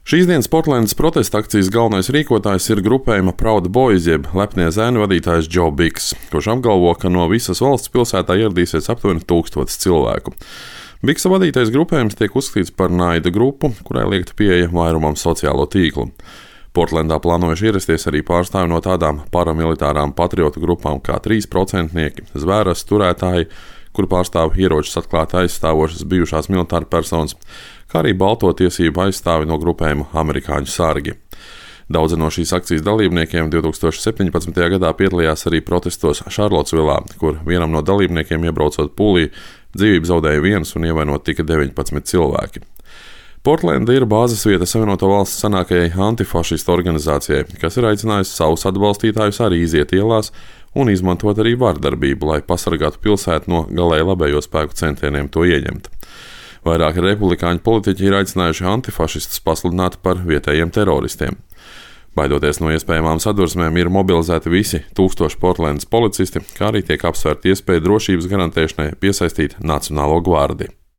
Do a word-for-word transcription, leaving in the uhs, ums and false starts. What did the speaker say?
Šīs dienas Portlandas protesta akcijas galvenais rīkotājs ir grupējuma Proud Boys, jeb lepnie zēnu vadītājs Joe Biggs, kurš apgalvo, ka no visas valsts pilsētā ieradīsies aptuveni tūkstotis cilvēku. Biggsa vadītais grupējums tiek uzskatīts par naida grupu, kurai liekta pieeja vairumam sociālo tīklu. Portlandā plānojuši ierasties arī pārstāvi no tādām paramilitārām patriotu grupām kā trīs procentnieki, zvēras turētāji, kur pārstāv ieročus atklāti aizstāvošas bijušās militāra personas, kā arī balto tiesību aizstāvi no grupējuma Amerikāņu sargi. Daudzi no šīs akcijas dalībniekiem divs tūkstoši septiņpadsmitajā gadā piedalījās arī protestos Šarlotsvilā, kur vienam no dalībniekiem iebraucot pūlī, dzīvību zaudēja viens un ievainot tika deviņpadsmit cilvēki. Portlanda ir bāzes vieta Savienoto Valstu senākajai antifašistu organizācijai, kas ir aicinājusi savus atbalstītājus arī iziet ielās un izmantot arī vardarbību, lai pasargātu pilsētu no galēji labējo spēku centieniem to ieņemt. Vairāki republikāņu politiķi ir aicinājuši antifašistus pasludināt par vietējiem teroristiem. Baidoties no iespējamām sadursmēm, ir mobilizēti visi tūkstoši Portlandas policisti, kā arī tiek apsvērta iespēja drošības garantēšanai piesaistīt Nacionālo gvardiju.